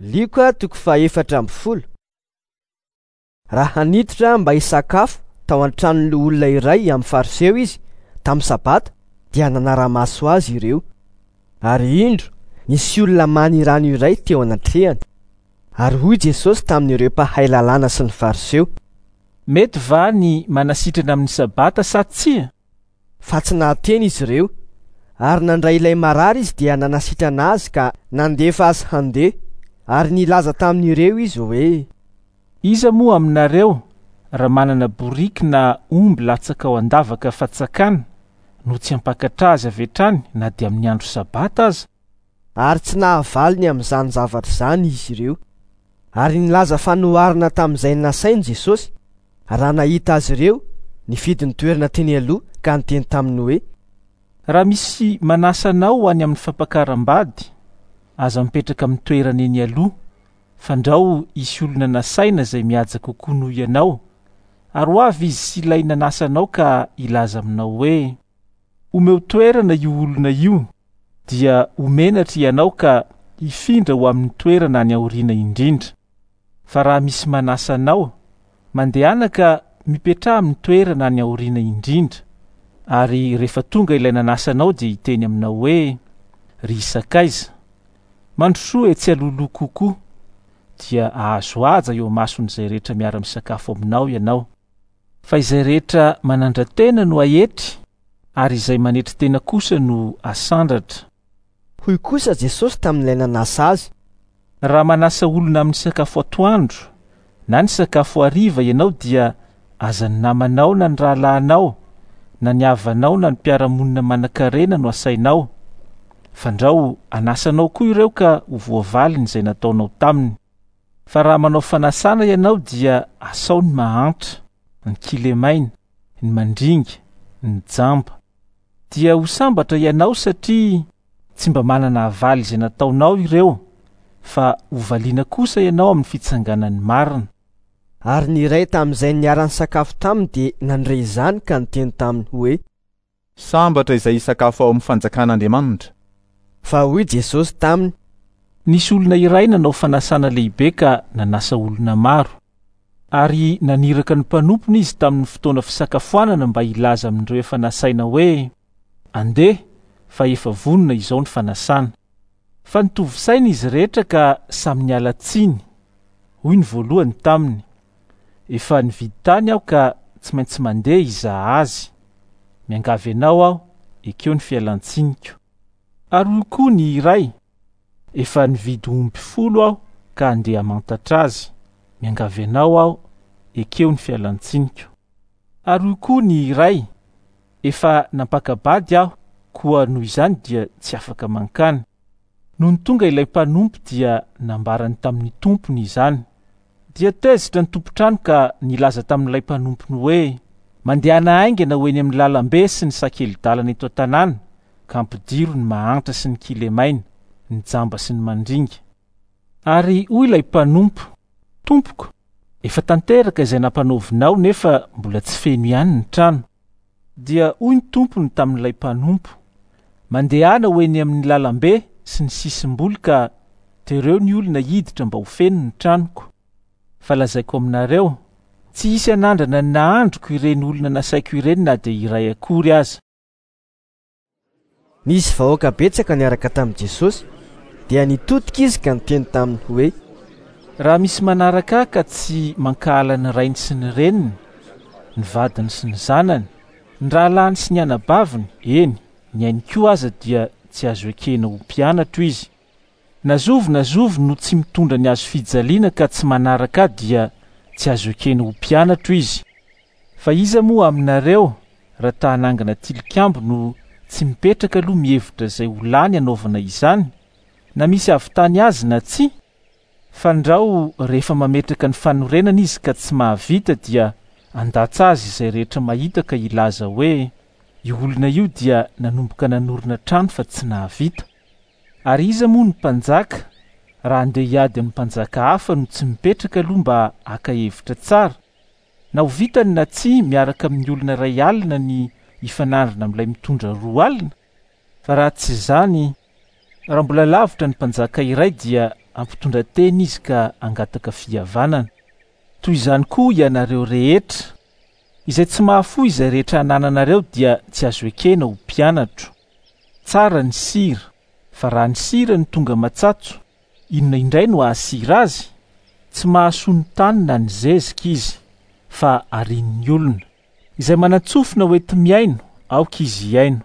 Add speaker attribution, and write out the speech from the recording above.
Speaker 1: Lioka toko faha-14. Raha niditra mba hisakafo tao an-tranon'ny loholona iray amin'ny Fariseo izy tamin'ny Sabata, dia nanara-maso azy ireo. Ary indro, nisy olona manirano iray teo anatrehany. Ary hoy Jesosy tamin'ireo mpahay lalàna sy ny Fariseo:
Speaker 2: Mety va ny manasitrana amin'ny Sabata sa tsia?
Speaker 1: Fa tsy nahateny izy ireo. Ary nandray ilay marary izy dia nanasitrana azy ka nandefa azy handeha. Ary nilaza tamin'ireo izy hoe:
Speaker 2: Iza moa aminareo, raha manana boriky na omby latsaka ao an-davaka fatsakana, no tsy hampakatra azy avy hatrany na dia amin'ny andro Sabata aza?
Speaker 1: Ary tsy nahavaly ny amin'izany zavatra izany izy ireo. Ary nilaza fanoharana tamin'izay nasainy Jesosy, raha nahita azy ireo, nifidy ny toerana teny aloha ka niteny taminy hoe:
Speaker 2: Raha misy manasa anao ho any amin'ny fampakaram-bady, aza mipetraka amin'ny toerana eny aloha, fandrao hisy olona nasaina izay mihaja kokoa noho ianao, ary ho avy izy sy ilay nanasa anao ka hilaza aminao hoe, Omeo toerana io olona io, dia ho menatra ianao ka hifindra ho amin'ny toerana any aoriana indrindra. Fa raha misy manasa anao, mandehana ka mipetraha amin'ny toerana any aoriana indrindra, ary rehefa tonga ilay nanasa anao dia hiteny aminao hoe, Ry sakaiza, mandrosoa etsy alohaloha kokoa, dia hahazo haja eo imason'izay rehetra miara-misakafo aminao ianao. Fa izay rehetra manandra-tena no haetry, ary izay manetry tena kosa no hasandratra.
Speaker 1: Hoy kosa Jesosy tamin'ilay nanasa azy.
Speaker 2: Raha manasa olona amin'ny sakafo atoandro na ny sakafo hariva ianao dia aza ny namanao na ny rahalahinao na ny havanao na ny mpiara-monina manan-karena no asainao, fandrao hanasa anao koa ireo ka ho voavaliny izay nataonao taminy. Fa raha manao fanasana ianao dia asao ny mahantra, ny kilemaina, ny mandringa, ny jamba. Dia ho sambatra ianao satria tsy mba manana havaly izay nataonao ireo, fa hovaliana kosa ianao amin'ny fitsanganan'ny marina.
Speaker 1: Ary ny iray tamin'izay niara-nisakafo taminy dia nandre izany ka niteny taminy hoe.
Speaker 3: Sambatra izay hisakafo ao amin'ny fanjakan'Andriamanitra.
Speaker 1: Fa hoy Jesosy taminy.
Speaker 2: Nisy olona iray nanao fanasana lehibe ka nanasa olona maro. Ary naniraka ny mpanompony izy tamin'ny fotoana fisakafoanana mba hilaza amin'ireo efa nasaina hoe, Andeha, fa efa vonona izao ny fanasana. Fa nitovy saina izy rehetra ka samy niala tsiny. Hoy ny voalohany taminy, Efa nividy tany aho ka tsy maintsy mandeha hizaha azy. Miangavy anao aho, ekeo ny fialan-tsiniko. Ary hoy koa ny iray, Efa nividy omby 10 aho ka handeha hamantatra azy. Miangavy anao aho, ekeo ny fialan-tsiniko. Ary hoy koa ny iray, Efa nampaka-bady aho, koa noho izany dia tsy afaka mankany. Nony tonga ilay mpanompo dia nambarany tamin'ny tompony izany. Dia tezitra ny tompon-trano ka nilaza tamin'ilay mpanompony hoe, Mandehana haingana ho eny amin'ny lalambe sy ny sakeli-dalana eto an-tanàna, ka ampidiro ny mahantra sy ny kilemaina, ny jamba sy ny mandringa. Ary hoy ilay mpanompo, Tompoko, efa tanteraka izay nampanaovinao nefa mbola tsy feno ihany ny trano. Dia hoy ny tompony tamin'ilay mpanompo, Mandehana ho eny amin'ny lalambe sy ny sisim-boly ka tereo ny olona hiditra mba ho feno ny tranoko. Fa lazaiko aminareo, tsy hisy hanandrana ny nahandroko ireny olona nasaiko ireny na dia iray akory aza.
Speaker 1: Nisy vahoaka betsaka niaraka tamin'i Jesosy, dia nitodika izy ka niteny taminy hoe.
Speaker 2: Raha misy manaraka ahy ka tsy mankahala ny rainy sy ny reniny, ny vadiny sy ny zanany, ny rahalahiny sy ny anabaviny, eny, ny ainy koa aza dia tsy azo ekena ho mpianatro izy. Na zovy na zovy no tsy mitondra ny hazofijaliana ka tsy manaraka ahy dia tsy azo ekena ho mpianatro izy. Fa iza moa aminareo raha ta hanangana tilikambo no tsy mipetraka aloha mihevitra izay ho lany hanaovana izany, na misy hahavitany azy na tsia? Fandrao rehefa mametraka ny fanorenana izy ka tsy mahavita dia handatsa azy izay rehetra mahita ka hilaza hoe, io olona io dia nanomboka nanorina trano fa tsy nahavita. Ary iza moa no mpanjaka raha handeha hiady amin'ny mpanjaka hafa no tsy mipetraka aloha mba haka hevitra tsara? Na ho vitany na tsia miaraka amin'ny olona iray alina ny hifanandrina amin'ilay mitondra 20? Fa raha tsy izany, raha mbola lavitra ny mpanjaka iray dia hampitondra tena izy ka hangataka fihavanana. Toy izany koa ianareo rehetra. Izay tsy mahafoy izay rehetra anananareo dia tsy azo ekena ho mpianatro. Tsara ny sira, fa raha ny sira no tonga matsatso, inona indray no hahasira azy? Tsy mahasoa ny tany na ny zezika izy, fa arian'ny olona. Izay manan-tsofina ho enti-mihaino, aoka izy hihaino.